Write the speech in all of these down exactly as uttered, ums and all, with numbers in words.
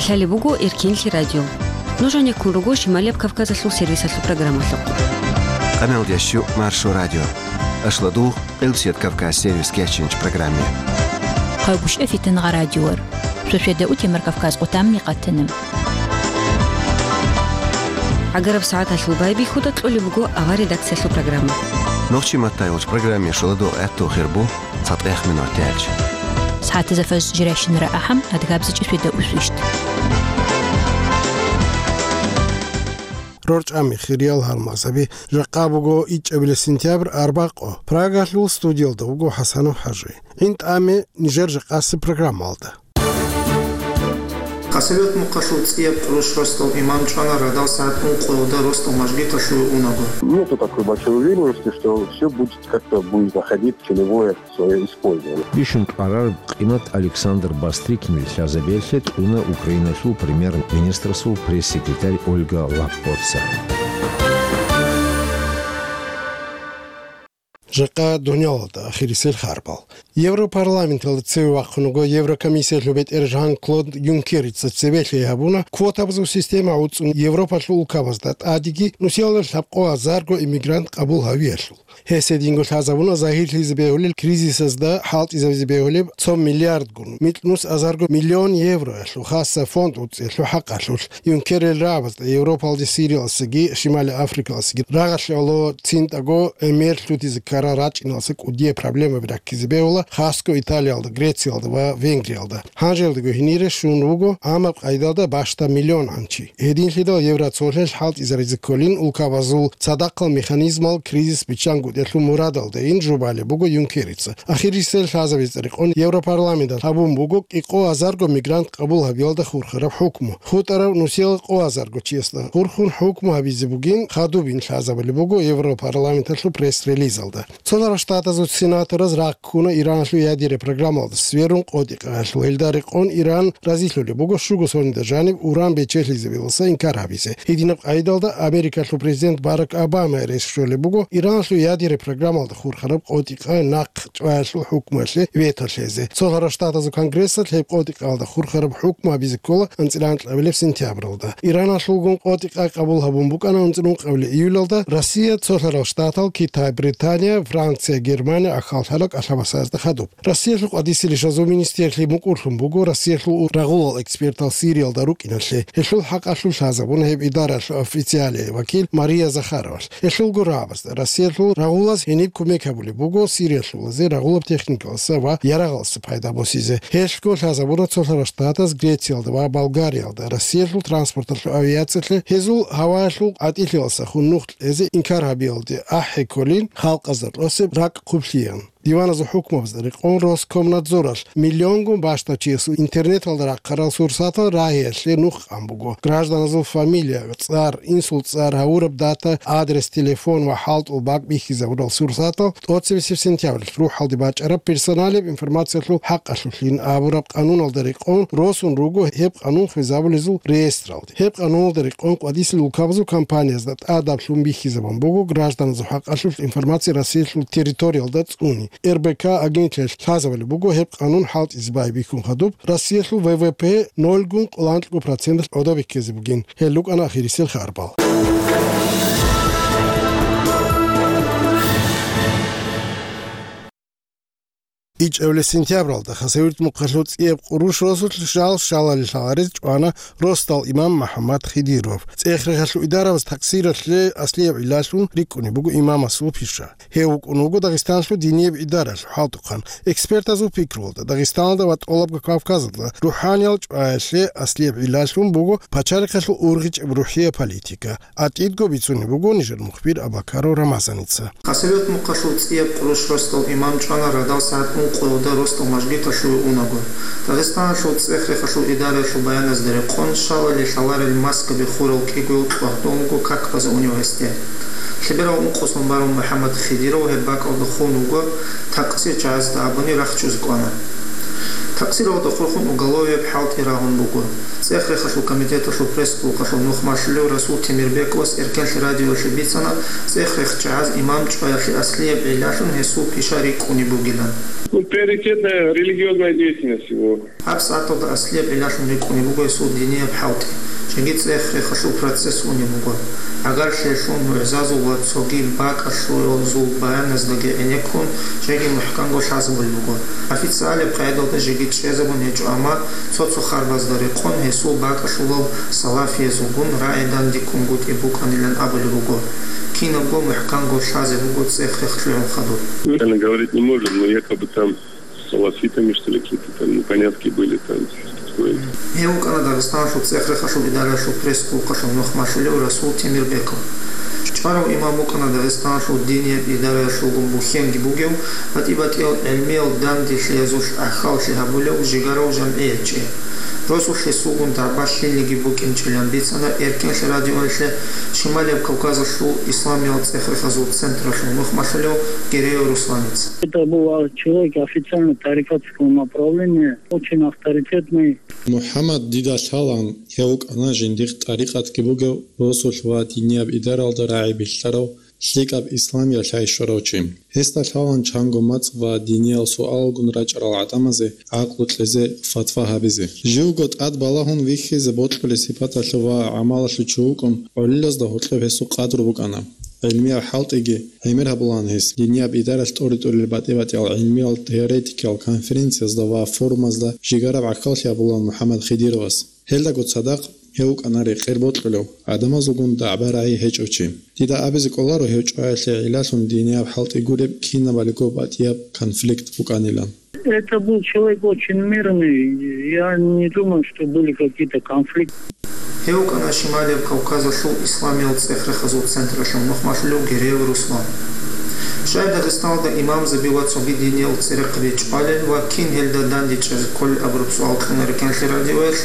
Лъалеб буго Эркенлъи радио. Нуж гьанеккун руго Шималияб Кавказалъул сервисалъул программалъухъ. Къаналдящу Маршо радио. Ашладугъ Къилбсият Кавказ сервис кечинч программе. Къайгушев Фитангъа радиор. Шошведа утемар Кавказ къутамни къатана. ГӀагараб сагӀаталъул байбихьуда кьолеб буго авар редакциялъул программа. Нохчи маттайолч программе шуладугъ гӀатту хирбу цатӀех минут тяч. СагӀатаза фаз жиращинара ахӀам адгабзичӀи шведа усвищт. РорчӀами хириял гьалмагъзаби, жакъа буго ичӀабилеб сентябрь арбакъо. Прагалъул студиялда вуго ХӀасанов ХӀажи. ГӀин тӀаме нижер жакъасеб программалда. Хасавюрт мухъалъул цӀияб къурущ росдал имам чӀвана радал сагӀат ункъоялда росдал мажгиталъуве унаго. Нету такой большой уверенности, что всё будет как-то, будет заходить в целевое своё использование. Бищун кьварар къимат Александр Бастрыкин лъазабиялъе кьуна Украиналъул премьер-министрасул пресс-секретарь Ольга Лаппоца. Жакъа дунялалда ахирисел харбал. Европарламенталда цеве вахъун вуго Еврокомиссиялъул бетӀер Жан-Клод Юнкерица цебе лъей гьабуна, квотабазул система гӀуцӀун Европалъул улкабазда тӀадеги нусиялда лъабкъо азарго иммигрант къабул гьавиялъул. Гьес гьединго лъазабуна загьирлъизе бегьулел кризисазда хӀалтӀизабизе бегьулеб цо миллиардгун, микьнус азарго миллион евроялъул хасса фонд гӀуцӀиялъул хӀакъалъулъ. Юнкерил рагӀабазда Европалде Сириялдасаги Шимали Африкалдасаги рагъалъе гӀоло цинтӀаго гӀемер лъутизе ккарал рачӀиналдаса кӀудияб проблемаби раккизе бегьула, хасго Италиялда, Грециялда ва Венгриялда. Гьанжелдаго гьенире щун вуго гӀамаб къайдалда бащда миллион гӀанчи. Гьединлъидал Евроцолъиялъ хӀалтӀизаризе кколин улкабазул цадахъал механизмал кризис биччангутӀиялъул мурадалдайин жубалеб буго Юнкерица. Ахирисел лъазабизе рекъон Европарламенталъ гьабун буго кӀикъо азарго мигрант къабул гьабиялда хурхараб хӀукму. ХутӀарав нусиялда къо азарго чиясда хурхун хӀукму гьабизе бугин хадубин лъазабулеб буго Европарламенталъул пресс-релизалда. Цолъарал Штатазул сенатораз рагъ ккуна Иранлъул ядерный программалда сверун къотӀи-къаялъул. Гьелда рекъон Иран разилъулеб буго щуго сонида жаниб уран бечелъизабиласа инкар гьабизе. Гьединаб къайдалда Америкалъул президент Барак Обама рес щолеб буго Иранлъул ядерный программалда хурхараб къотӀи-къай нахъ чӀваялъул хӀукмуялъе вето лъезе. Цолъарал Штатазул Конгрессалъ гьеб къотӀи-къаялда хурхараб хӀукму гьабизе ккола анцӀила анкьабилеб сентябралда. Иранлъулгун къотӀи-къай къабул гьабун букӀана анцӀила ункъабилеб июлалда Россия, Цолъарал Штатал, Китай, Британия, Франция, Германия ахал лъала кӀалъабасазда хадуб. Россиялъул къватӀисел ишазул министрлъи мукӀурлъун буго Россиялъул рагъулал экспертал Сириялда рукӀиналъе. Гьелъул хӀакъалъулъ лъазабуна гьеб идаралъул официалияй вакил Мария Захаровалъ. Гьелъулго рагӀабазда Россиялъул рагъулаз гьениб кумек гьабулеб буго Сириялъулазе рагъулаб техникалъаса ва ярагъалъаса пайда босизе. Гьелъго лъазабуна Цолъарал Штатаз Грециялда ва Болгариялда Россиялъул транспорталъул авиациялъе гьезул гьаваялъул къватӀилъиялдаса хун нух кьезе инкар гьабиялде ахӀи кколин халкъазда росеб ракӀ хъублъиялъ. Диваназул хӀукмабазда рекъон Роскомнадзоралъ миллионгун бащдаб чиясул интернеталда рахъарал сурсатал рагьиялъе нух къан буго. Гражданазул фамилия, цӀар, инсул цӀар, гьавураб дата, адрес, телефон ва хӀалтӀул бакӀ бихьизабурал сурсатал тӀоцебесеб сентябрь рухӀалде бачӀараб персоналияб информациялъул хӀакъалъулъин абураб къануналда рекъон росун руго гьеб къанун хвезабулезул реестралде. Гьеб къануналда рекъон къватӀисел улкабазул компаниязда тӀадаб лъун бихьизабун буго гражданазул хӀакъалъулъ информация Россиялъул территориялда цӀуни. РБК агентиялъ лъазабулеб буго гьеб къанун хӀалтӀизе байбихьун хадуб Россиялъул В В П нольгун кӀалъанкьго проценталъ гӀодобиккизе бугин. Гьел рукӀана ахирисел харбал. ИчӀабилеб сентябралда Хасавюрт мухъалъул цӀияб къурущ росулъ жал щалалел лъаларез чӀвана росдал имам МухӀаммад Хидиров. ЦӀех-рехалъул идарабаз такъсиралъе аслияб гӀиллалъун рикӀкӀунеб буго имамасул пиша. Гьев вукӀун вуго Дагъистаналъул динияб идаралъул хӀалтӀухъан. Экспертазул пикруялда, Дагъистаналда ва ТӀолабго Кавказалда рухӀаниял чӀваялъе аслияб гӀиллалъун буго пачалихъалъул ургъичӀеб рухӀияб политика. АтӀидго бицунеб буго нижер мухбир Абакаров Рамазаница. Хасавюрт мухъалъул цӀияб къурущ росдал имам чӀвана радал сагӀат ункъоялда росдал мажгиталъуве унаго. Дагъистаналъул цӀех-рехалъул идараялъул баяназда рекъон, щалалел лъаларел маскаби хурал кӀигоял кьвагьдон вуго как база унев гьесде. Лъеберал ункъо сон барун МухӀаммад Хидиров гьеб бакӀалда хун вуго, такъсир чагӀазда абуни рахчузе кӀвана. Такъсиралда хурхун уголовияб хӀалтӀи рагьун буго. ЦӀех-рехалъул комитеталъул пресс-клубалъул нух малъулев Расул Темирбековас Эркенлъи радиоялъе бицана цӀех-рех чагӀаз имам чӀваялъе аслияб гӀиллалъун гьесул пиша рикӀкӀунеб бугилан. Ну, приоритетная религиозная деятельность его. ГьабсагӀаталда аслияб гӀиллалъун рикӀкӀунеб буго гьесул динияб хӀалтӀи. Жеги цӀех-рехалъул процесс унеб буго. ГӀагарлъиялъул, мугӀзазул ва цоги бакӀалъуязул баяназдаги гӀенеккун, жеги мухӀканго лъазабулеб буго. Официалияб къагӀидалда жеги чӀезабун гьечӀо, амма цо-цо харбазда рекъон гьесул бакӀалъулал салафиязулгун рагӀи дандеккунгутӀи букӀанилан абулеб буго. Кинабго мухӀканго лъазе буго цӀех-рех лъугӀун хадуб. Реально говорить не может, но якобы там с салафитами, что ли, какие-то там непонятки были, там, что-то такое. Гьев вукӀана Дагъистаналъул цӀех-рехалъул идараялъул пресс-клубалъул нух малъулев Расул Темирбеков. ЧӀварав имам вукӀана Дагъистаналъул динияб идараялъулгун бухьенги бугев, батӀи-батӀиял гӀилмиял данделъиязулъ гӀахьаллъи гьабулев жигарав жамгӀиятчи. Росулъ гьесулгун дагӀба лъилниги букӀинчӀилан бицана Эркенлъи радиоялъе Шималияб Кавказалъул исламиял цӀех-рехазул централъул нух малъулев Гереев Русланица. Это был человек официально тарикатского направления, очень авторитетный. МухӀаммад, дида лъалаан, гьев вукӀана жиндихъ тӀарикъатги бугев, росулъ ва динияб идаралда рагӀи билълъарав, лъикӀаб исламиялъ гьай щварав чи. Гьесда лъалаан чанго мацӀ ва диниял суалалгун рачӀарал гӀадамазе гӀакълу кьезе, фатва гьабизе. Живго тӀад балагьун вихьизе бокьулеб сипаталъул ва гӀамалалъул чи вукӀун, гӀолилазда гьоркьоб гьесул къадру букӀана. ГӀилмиял хӀалтӀиги гӀемер гьабулаан гьес. Динияб идаралъ тӀоре-тӀурел батӀи-батӀиял гӀилмиял теоретикиял конференциязда ва форумазда жигараб гӀахьаллъи гьабулаан МухӀаммад Хидировас. Гьелдаго цадахъ гьев вукӀана рекъер бокьулев, гӀадамазулгун дагӀба-рагӀи гьечӀев чи. Дида абизе кӀоларо гьев чӀваялъе гӀиллалъун динияб хӀалтӀи гуреб кинабалиго батӀияб конфликт букӀанилан. Это был человек очень мирный. Я не думаю, что были какие-то конфликты. Гьев вукӀана Шималияб Кавказалъул исламиял цӀех-рехазул централъул нух малъулев Гереев Руслан. Щай Дагъистаналда имамзаби ва цоги диниял церехъаби чӀвалел ва кин гьелда дандечӀезе кколел абураб суал кьуна Эркенлъи радиоялъ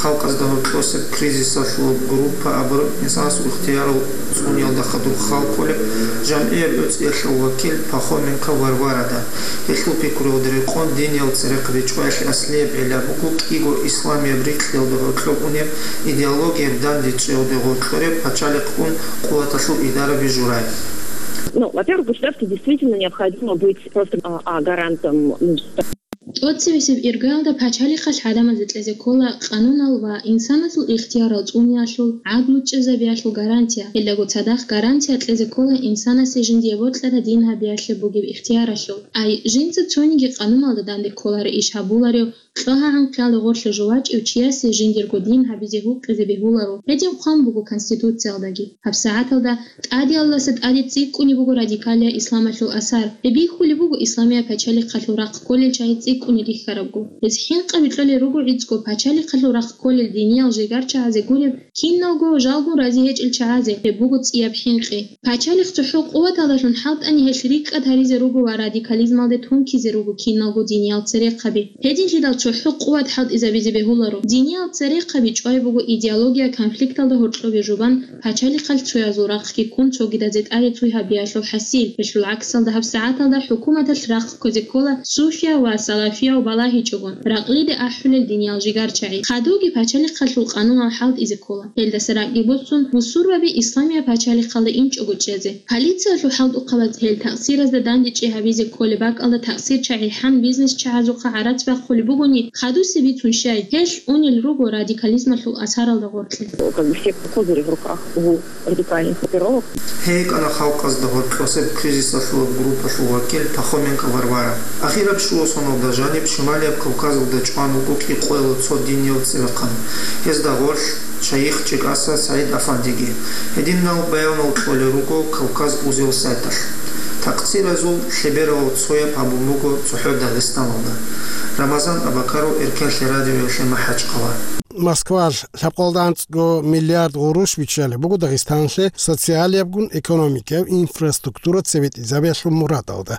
халкъазда гьоркьосеб кризисалъул группа абураб инсанасул ихтиярал цӀуниялда хадуб хал кколеб жамгӀияб гӀуцӀиялъул вакил Пахоменко Варварада. Гьелъул пикруялда рекъон, диниял церехъаби чӀваялъе аслияб гӀилла буго кӀиго исламияб рикьиялда гьоркьоб унеб, идеологияб дандечӀеялде гъоркьореб пачалихъгун къуваталъул идараби журай. Ну, во-первых, государству действительно необходимо быть просто, а, а, гарантом, ну, ТӀоцебесеб иргаялда пачалихъалъ гӀадамазда кьезе ккола къанунал ва инсанасул ихтиярал цӀуниялъул, гӀадлу чӀезабиялъул гарантия. Гьелдаго цадахъ гарантия кьезе ккола инсанасе жиндие бокьараб дин гьабиялъе бугеб ихтияралъул. Ай, жинца цониги къануналда данде кколареб иш гьабуларев, кьогьагӀан хъиялда гъорлъе жо вачӀев чиясе жиндирго дин гьабизе гьукъизе бегьуларо. Гьедин хъван буго Конституциялдаги. ГьабсагӀаталда ТӀадегӀанасда тӀаде цӀикӀкӀунеб буго радикалиял исламалъул асар. Гьеб бихьулеб буго исламияб пачалихъалъул рахъ кколел чагӀи цӀикӀкӀунел рихьарабго. Гьез хӀинкъи кьолел руго гӀицӀго пачалихъалъул рахъ кколел диниял жигар чагӀазе гуреб киналго, жалгун рази гьечӀел чагӀазе. Гьеб буго цӀияб хӀинкъи. Пачалихъ цохӀо къуваталдалъун хӀалтӀани гьелъ рикӀкӀад гьаризе руго ва радикализмалде тункизе руго киналго диниял церехъаби. Гьединлъидал цохӀо къуват хӀалтӀизабизе бегьуларо. Диниял церехъаби чӀвай буго идеология конфликталда гьоркьобе жубан, пачалихъалъ цоязул рахъги ккун цогидазе тӀаде цуй гьабиялъул хӀасил. Гьелъул гӀаксалда гьабсагӀаталда хӀукуматалъ рахъ кквезе ккола суфияв ва салафияв балагьичӀого, ракълиде ахӀулел диниял жигарчагӀи. Хадубги пачалихъалъул къанунал хӀалтӀизе ккола. Гьелдаса ракӀги босун, бусурбаби исламияб пачалихъалда инчӀого чӀезе. Полициялъул хӀалтӀухъабаз гьел такъсиразда дандечӀи гьабизе кколеб бакӀалда такъсирчагӀи хӀан бизнесчагӀазухъа гӀарац бахъулеб бугони, хадусе бицун щай, гьелъ унел руго радикализмалъул асаралда гъоркье. Как бы все козыри в руках у радикальных группировок. Гьей кӀана халкъазда гъоркьосеб кризисалъул группалъул вакил Пахоменко Варвара. Ахираб щуго соналда жаниб Шималияб Кавказалда чӀван вуго кӀикъоялда цо динияв цӀибахъан. Гьезда гъорлъ шайих ЧӀикӀаса СагӀид-Афандиги. Гьединал баянал кьолел руго Кавказ узел сайталъ. Такъсиразул лъебералал цояб гьабун буго цохӀо Дагъистаналда. Рамазан Абакаров, Эркенлъи радиоялъе, МахӀачкъала. Москвалъ лъабкъоялда анцӀго миллиард гъурущ биччалеб буго Дагъистанлъе социалиябгун экономикаяб инфраструктура цебетӀизабиялъул мурадалда.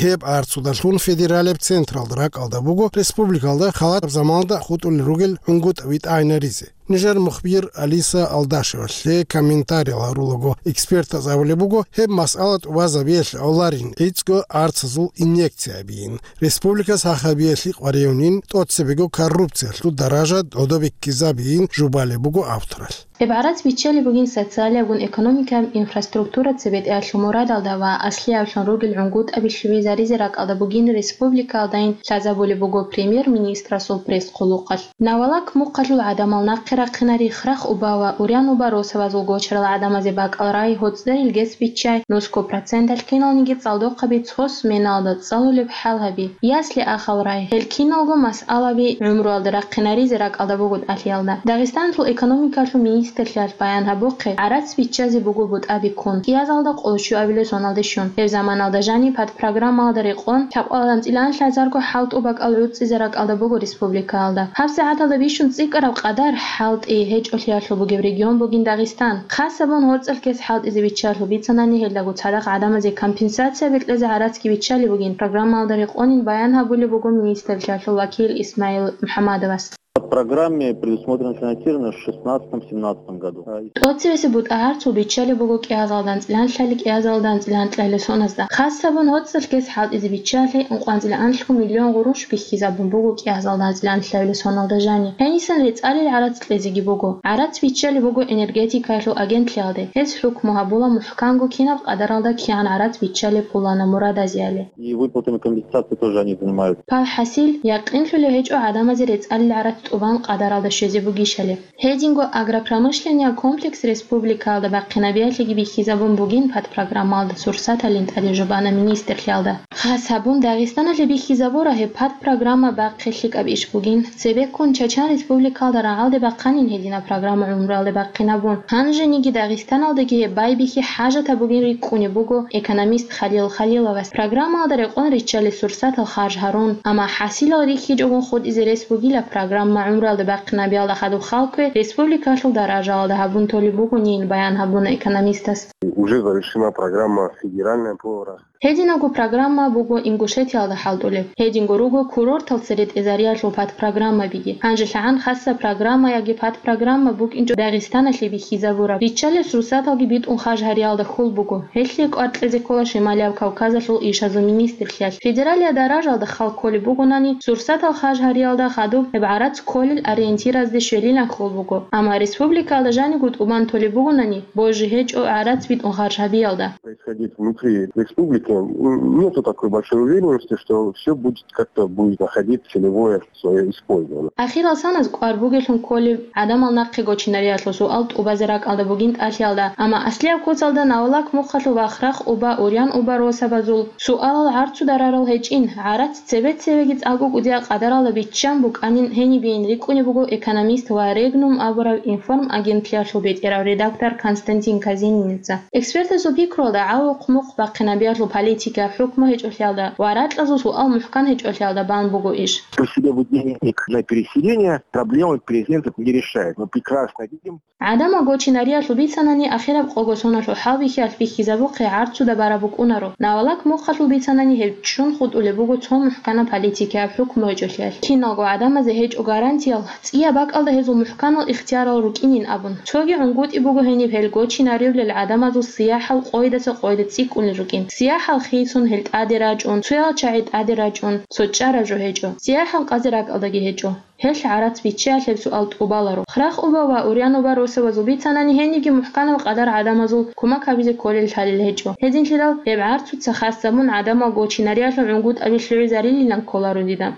Гьеб арцудалъун федералияб централда ракӀалда буго республикалда халат заманалда хутӀулел ругел гӀунгутӀаби тӀагӀинаризе. Нижер мухбир Алиса Алдашевалъе комментариял гьарулаго, экспертаз абулеб буго, гьеб масъала тӀубазабиялъе гӀоларин, гӀицӀго арцазул инъекция бийин. Республикас гьахабиялъе къваригӀунин, тӀоцебего коррупциялъул даража гӀодобиккизабийин жубалеб буго авторалъ. Гьеб гӀарац биччалеб бугин социалиягун экономикаяб инфраструктура цебетӀеялъул мурадалда ва аслияблъун ругел гӀунгутӀаби лъугӀизаризе ракӀалда бугин республикаялдайин лъазабулеб буго премьер-министрасул пресс-хъулухъалъ. Навалак мухъалъул гӀадамал нахъе рахъинари, храхъ уба ва урян уба росабазул гочарал гӀадамазе бакӀал рай, гьоцӀерил гес биччай, нусго проценталъ киналниги цӀалдохъаби цо сменалда цӀалулеб хӀал гьаби, ясли ахал рай. Гьел киналго масъалаби гӀумруялда рахъинаризе ракӀалда буго тӀалъиялда. Дагъистаналъул экономикалъул министрлъиялъ баян гьабухъе, гӀарац биччазе буго бутӀаби ккун, кӀиазалда къоло щуабилеб соналде щун. Гьеб заманалда жаниб подпрограммалда рекъон, лъабкъоялда анцӀила анлъазарго хӀалтӀу бакӀал гӀуцӀизе ракӀалда буго республикаялда. ГьабсагӀаталда бищун цӀикӀкӀараб къадар хӀалтӀи гьечӀолъиялъул бугеб регион бугин Дагъистан. Хасабун гьорцӀалъ гес хӀалтӀизе биччалъул бицанани, гьелдаго цадахъ гӀадамазе компенсацияби кьезе гӀарацги биччалеб бугин, программалда рекъонин баян гьабулеб буго министрлъиялъул вакил Исмаил МухӀамадовас. По программе предусмотрено финансирование в шестнадцатом-семнадцатом году. ТӀоцевесеб бутӀа гӀарцул биччалеб буго кӀиазалда анцӀила анлъали кӀиазалда анцӀила анлъабилеб соназда. Хасабун гьорцӀалъ гес хӀалтӀизе биччалъе, ункъоялда анлъго миллион гъурущ бихьизабун буго кӀиазалда анцӀила анлъабилеб соналда жаниб. Гьенисан рецӀалил гӀарац кьезеги буго. ГӀарац биччалеб буго энергетикаялъул агентлъиялде. Гьез хӀукму гьабула мухӀканго кинаб къадаралда кигӀан гӀарац биччалеб пуланаб мурадазеяли. И выплатами компенсации тоже они занимаются. Пал хӀасил, якъинлъулеб гьечӀо гӀадамазе рецӀалил гӀарац тӀубан къадаралда щвезе бугищали. Гьединго агропромышленнияб комплекс республикаялда бахъинабиялъеги бихьизабун бугин подпрограммалда сурсаталин тӀаде жубана министрлъиялда. Хас гьабун, Дагъистаналъе бихьизабура гьеб подпрограмма бахъе лъикӀаб иш бугин. Цебеккун Чачан Республикаялда рагӀалде бахъанин гьединаб программа гӀумруялде бахъинабун. Гьанжениги Дагъистаналдаги гьеб байбихьи хӀажатаб бугин рикӀкӀунеб буго экономист Халил Халиловас. Программаялда рекъон риччалел сурсатал харж гьарун, амма хӀасилал рихьичӀогун хутӀизе рес бугила программа гӀумруялде бахъинабиялда хадуб халкве республикалъул даражаялда гьабун толеб бугонин, баян гьабуна экономистас. Уже завершена программа федеральная по Гьединабго программа буго Ингушетиялда хӀалтӀулеб. Гьединго руго курортал цере тӀезариялъул подпрограммабиги. Гьанже лъагӀан хасаб программа яги подпрограмма букӀинчӀо Дагъистаналъе бихьизабураб. Риччалел сурсаталги битӀун харж гьариялда хьул буго. Гьелъие кӀвар кьезе ккола Шималияб Кавказалъул ишазул министрлъиялъ. Федералияб даражаялда хал кколеб бугонани, сурсатал харж гьариялда хадуб гьеб гӀарац кколел ориентиразде щвелилан хьул буго. Амма республикаялда жаниго тӀубан толеб бугонани, божи гьечӀо гӀарац битӀун харж гьабиялда. Происходить внутри республики, м, нету такой большой уверенности, что всё будет как-то, будет находить целевое своё использование. Ахирал саназ кӀвар бугелъун кколеб гӀадамал нахъе гочинариялъул суал тӀубазе ракӀалда бугин тӀалъиялда, амма аслияб куцалда Навалак мухъалъул ва Храхъ уба, Урян уба росабазул суалал гӀарцуда рарал гьечӀин, гӀарац цебе-цебеги цӀакъго кӀудияб къадаралда биччан букӀанин гьенибейин рикӀкӀунеб буго экономист ва Регнум абураб информагентлъиялъул бетӀерав редактор Константин Казениница. Экспертасул пикруялда, гӀавухъ-мухъ бахъинабиялъул политикаяб хӀукму гьечӀолъиялда ва ракьазул суал мухӀкан гьечӀолъиялда бан буго иш. При себе будильник на переселение проблемы переселенцев не решает. Мы прекрасно видим. ГӀадамал гочинариялъул бицанани, ахираб къого соналъул хӀалбихьиялъ бихьизабухъе гӀарцуда бараб букӀунаро. Навалак мухъалъул бицанани, гьеб ччун хутӀулеб буго цо мухӀканаб политикаяб хӀукму гьечӀолъиялъ. Киналго гӀадамазе гьечӀо гарантиял, цӀияб бакӀалда гьезул мухӀканал ихтиярал рукӀинин абун. Цоги гӀунгутӀи буго гьениб гьел гочинаривлел гӀадамазул сияхӀал къойдаса къойда цӀикӀкӀунел рукӀин. СияхӀал хисун гьел тӀаде рачӀун, цоял чагӀи тӀаде рачӀун, цо чӀараб жо гьечӀо. СияхӀал къазе ракӀалдаги гьечӀо. Гьелъ гӀарац биччаялъеб суал тӀубаларо. Храхъ уба ва Урян уба росабазул бицанани, гьениги мухӀканаб къадар гӀадамазул кумак гьабизе кколел лъалел гьечӀо. Гьединлъидал гьеб гӀарцуца хас замун гӀадамал гочинариялъул гӀунгутӀаби лъугӀизарилилан кколаро дида.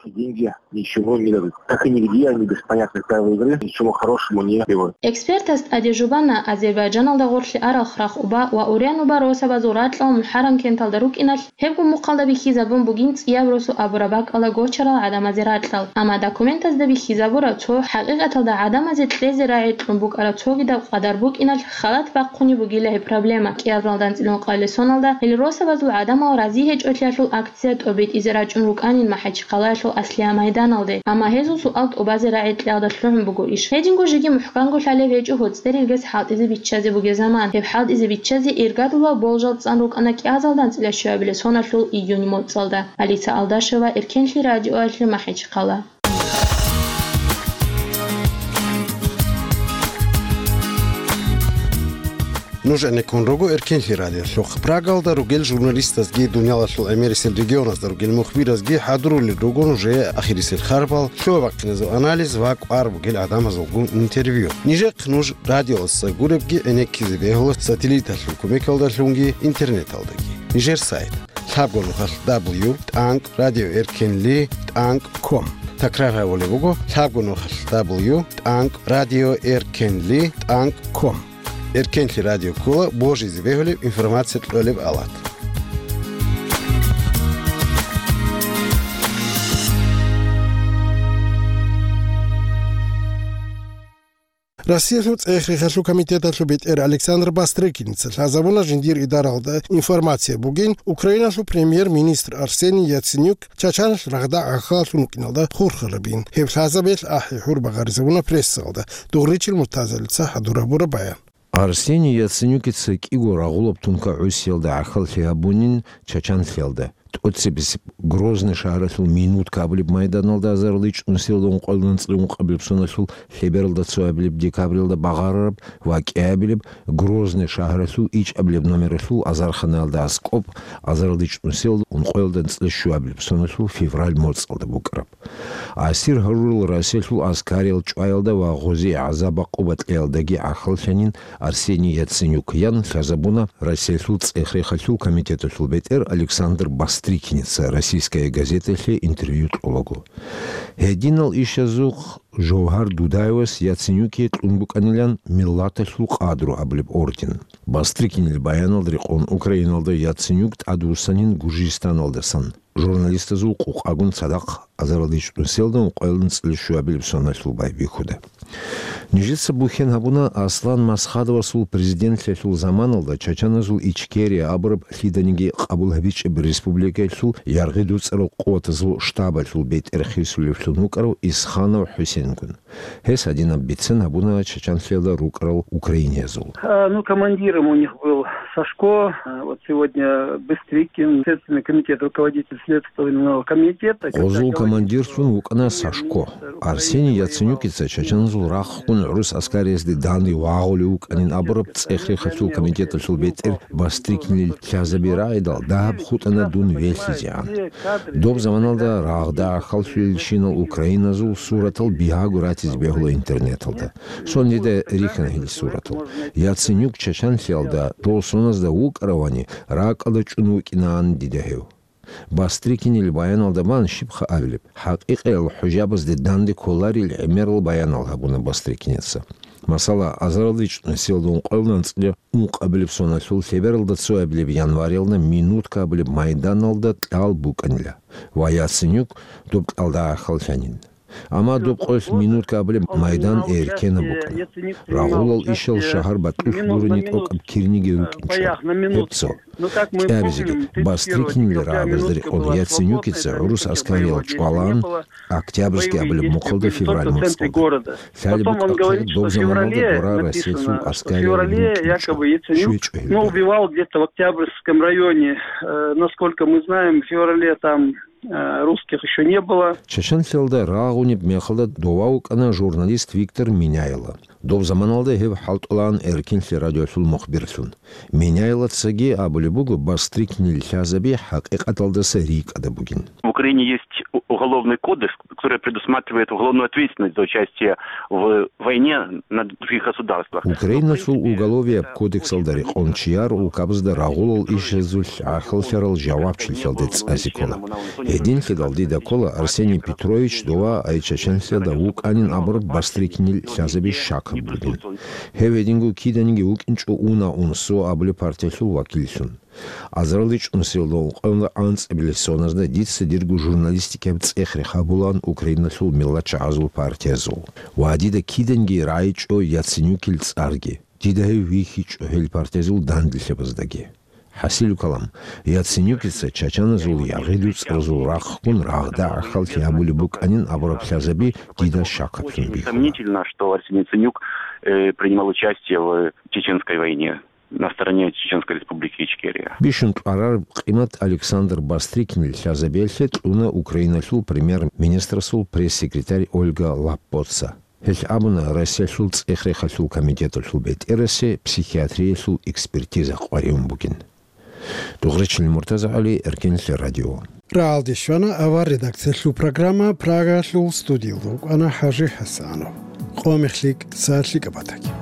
Деньги ничего не дадут. Как и нигде они без понятных правил игры ничего хорошего не требуют. Экспертас тӀаде жубана Азербайджаналда гъорлъе арал Храхъ уба ва Урян уба росабазул ракьал МухӀаррам кенталда рукӀиналъ, гьебго мухъалда бихьизабун бугин цӀияб росу абураб бакӀалда гочарал гӀадамазе ракьал. Амма документазда бихьизабура цо хӀакъикъаталда гӀадамазе кьезе рагӀи кьун букӀараб цогидаб къадар букӀиналъ халат бахъунеб бугила гьеб проблема. КӀиазалда анцӀила ункъабилеб соналда гьел росабазул гӀадамал рази гьечӀолъиялъул акция тӀобитӀизе рачӀун рукӀанин МахӀачхъалаялъул аслияб майданалде, амма гьезул суал тӀубазе рагӀи кьиялда лъугӀун буго иш. Гьединго жеги мухӀканго лъалеб гьечӀо гьоцӀерил гес хӀалтӀизе биччазе бугеб заман. Гьеб хӀалтӀизе биччазе иргадулаб болжал цӀан рукӀана кӀиазалда анцӀила щуабилеб соналъул июнь моцӀалда. Алиса Алдашева, Эркенлъи радиоялъе, МахӀачхъала. Нуж гӀенеккун руго Эркенлъи радиолъухъ. Прагалда ругел журналистазги, дуниялалъул гӀемерисел регионазда ругел мухбиразги хӀадурулел руго нужее ахирисел харбал, лъугьа-бахъиназул анализ ва кӀвар бугел гӀадамазулгун интервью. Нижехъ нуж радиоялдаса гуребги гӀенеккизе бегьула сателлиталъул кумекалдалъунги интернеталдаги. Нижер сайт: лъабго нухалъ дабл ю тӀанкӀ радио эркенли тӀанкӀ ком. Такрар гьабулеб буго: лъабго нухалъ дабл ю тӀанкӀ радио эркенли тӀанкӀ ком. Эркенлъи радио ккола божизе бегьулеб информация кьолеб алат. Россиялъул цӀех-рехалъул комитеталъул бетӀер Александр Бастрыкиница лъазабуна жиндир идаралда информация бугин, Украиналъул премьер-министр Арсений Яценюк Чачаналъ рагъда гӀахьаллъун вукӀиналда хурхарабин. Гьеб лъазабиялъ ахӀи-хӀур багъаризабуна прессалда. Дугъричил Муртазалица хӀадур гьабураб баян. Арсений Яценюкица кӀиго рагъулаб тункагӀусиялда гӀахьаллъи гьабунин Чачанлъиялда. ТӀоцебесеб Грозный шагьаралъул Минутка абулеб майданалда азарилда чӀунусиялда ункъоялда анцӀила ункъабилеб соналъул лъебералда цоабилеб декабралда багъарараб ва кӀиабилеб Грозный шагьаралъул ичӀабилеб номералъул азарханаялда аскӀоб азарилда чӀунусиялда ункъоялда анцӀила щуабилеб соналъул февраль моцӀалда букӀараб. Асир гьарурал Россиялъул аскариял чӀваялда ва гъозие гӀазаб-гӀакъуба кьеялдаги гӀахьаллъанин Арсений Яценюк, ян лъазабуна Россиялъул цӀех-рехалъул комитеталъул бетӀер Александр Бастрыкиница «Российская газеталъе» интервью кьолаго. Гьединал ишазухъ Жовгьар Дудаевас Яценюке кьун букӀанилан «Миллаталъул къадру» абулеб орден. Бастрыкинил баяналда рекъон Украиналда Яценюк тӀадвуссанин Гуржистаналдасан, журналистазул къукъагун цадахъ азарилда чӀунусиялда ункъоялда анцӀила щуабилеб соналъул байбихьуда. Нижеца бухьен гьабуна Аслан Масхадовасул президентлъиялъул заманалда чачаназул Ичкерия абураб лъиданиги къабул гьабичӀеб республикаялъул яргъи дуцӀарал къуватазул штабалъул бетӀер хисулевлъун вукӀарав Исханов ХӀусенгун. Гьес гьадинаб бицен гьабуна Чачанлъиялда рукӀарал украиниязул. А, ну, командиром у них был Сашко, а, вот сегодня Быстрикин, Следственный комитет, руководитель Следственного комитета. Гъозул командирлъун вукӀана Сашко. Арсений Яценюкица чачаназул рахъун гӀурус аскариязде данде вагъулев вукӀанин абураб цӀех-рехалъул комитеталъул бетӀер Бастрыкинил лъазаби рагӀидал дагьаб хутӀана дун велъизегӀан. Доб заманалда рагъда гӀахьаллъулелщинал украиназул суратал бигьаго ратизе бегьула интернеталда. Сон дида рихьана гьел суратал. Яценюк Чачанлъиялда дол соназда вукӀаравани, ракӀалда чӀун вукӀинаан дида гьев. Бастрыкинил баяналда бан щибха абилеб, хӀакъикъиял хӀужабазде данде кколарил гӀемерал баянал гьабуна Бастрыкиница. Масала, азарилда чӀунусиялда ункъоялда анцӀила ункъабилеб соналъул лъебералда цоабилеб январалда Минутка абулеб майданалда кьал букӀанила ва Яценюк доб кьалда гӀахьаллъанин. Амма доб къоялъ Минутка абулеб майдан эркенаб букӀана. Рагъулал ишал шагьар батӀулъ гурони тӀокӀаб кириниги рукӀинчӀо. Гьеб цо. КӀиабизеги, Бастрыкинил рагӀабазда рекъон Яценюкица гӀурус аскариял чӀвалаан Октябрьский абулеб мухъалда февраль моцӀалда. Лъалеб букӀахъе, доб заманалда дора Россиялъул аскариял рукӀинчӀо. ЩвечӀо гьелда. Ну, убивал где-то в Октябрьском районе. Э, насколько мы знаем, в феврале там э, русских ещё не было. Чачанлъиялда рагъунеб мехалда дова вукӀана журналист Виктор Меняйло. Доб заманалда гьев хӀалтӀулаан Эркенлъи радиолъул мухбирлъун. Меняйлоцаги абулеб буго, Бастрыкинил лъазаби хӀакъикъаталдаса рикӀкӀада бугин. В Украине есть у-, уголовный кодекс, который предусматривает уголовную ответственность за участие в войне на других государствах. Украиналъул уголовияб кодексалда рекъон чияр улкабазда рагъулал ишазулъ гӀахьаллъарал жавабчилъиялде цӀазе ккола. Гьединлъидал дида ккола Арсений Петрович дова ай Чачанлъиялда вукӀанин абураб Бастрыкинил лъазаби щакаб бугин. Гьев гьединго киданиги вукӀинчӀо «Уна унсо» абулеб партиялъул вакиллъун. Азарилда чӀунусиялда ункъоялда анцӀабилеб соназда дица дирго журналистикаяб цӀех-рех гьабулаан Украиналъул миллатчагӀазул партиязул. Ва дида киданги рагӀичӀо Яценюкил цӀарги. Дида гьев вихьичӀо гьел партиязул данделъабаздаги. ХӀасилу калам, Яценюкица чачаназул яргъи дуцӀаразул рахъгун рагъда гӀахьаллъи гьабулеб букӀанин абураб лъазаби дида щакаблъун бихьула. Сомнительно, что Арсений Яценюк, э, принимал участие в Чеченской войне на стороне Чеченской Республики Ичкерия. Бищун кьварараб къимат Александр Бастрыкинил лъазабиялъе кьуна Украиналъул премьер-министрасул пресс-секретарь Ольга Лаппоца. Гьелъ абуна, Россиялъул цӀех-рехалъул комитеталъул бетӀерасе психиатриялъул экспертиза къваригӀун бугин. Дугъричил МуртазагӀали, Эркенлъи радио. Рагьалде щвана авар редакциялъул программа, Прагалъул студиялда вукӀана ХӀажи ХӀасанов. Къо мех лъикӀ, са лъикӀаб батаги.